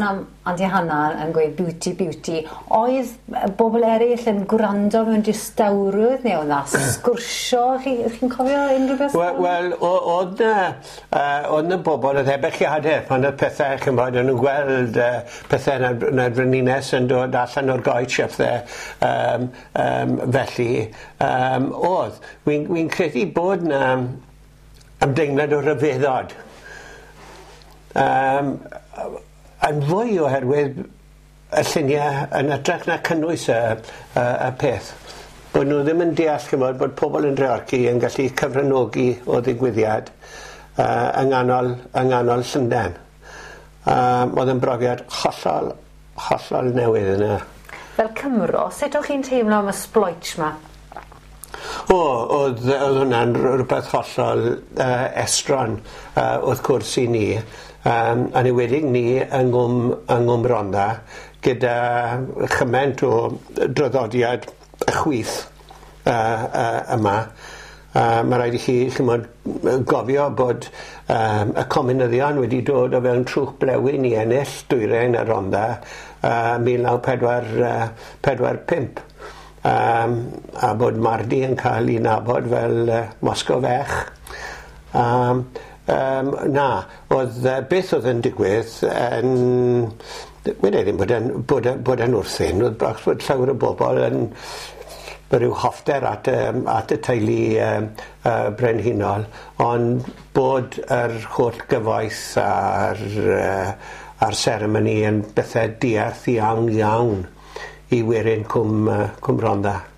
Am Auntie Hannah yn gweud beauty beauty, oedd bobl eraill yn gwrando mewn distawrwydd neu oedd 'na sgwrsio? Chi'n cofio unrhyw beth? Wel, o'dd 'na o'dd 'na bobl o'dd ebychiade pan o'dd pethe ch'mbod o'n nw'n gweld pethe na'r frenhines yn dod allan o'r goetsh a phethe felly o'dd. Wi'n credu bod 'na ymdeimlad o ryfeddod. Yn fwy oherwydd y lluniau yn hytrach na cynnwys y peth. Bod nhw ddim yn deall, ch'mod, bod pobl yn Dreorci yn gallu cyfranogi o ddigwyddiad yng nghanol Llundain. Oedd yn brofiad hollol, hollol newydd yna. Fel Cymro, sut o'ch chi'n teimlo am y sbloets 'ma? O, oedd hwnna'n rhywbeth hollol estron, wrth gwrs i ni. Yn enwedig ni yng Nghwm Rhondda, gyda chymaint o draddodiad y chwith yma. Mae rhaid i chi, ch'mod, gofio bod y comunyddion wedi dod o fewn trwch blewyn i ennill dwyrain y Rhondda 1945. A bod Mardi yn cael ei nabod fel Moscow Fech. Na, oedd beth oedd yn digwydd yn... Wedi ddim bod e'n wrthun, oedd bach bod llawer o bobl yn rhyw hoffter at y teulu brenhinol, ond bod yr holl gyfoeth a'r seremoni yn bethau diarth iawn iawn i werin Cwm Rhondda.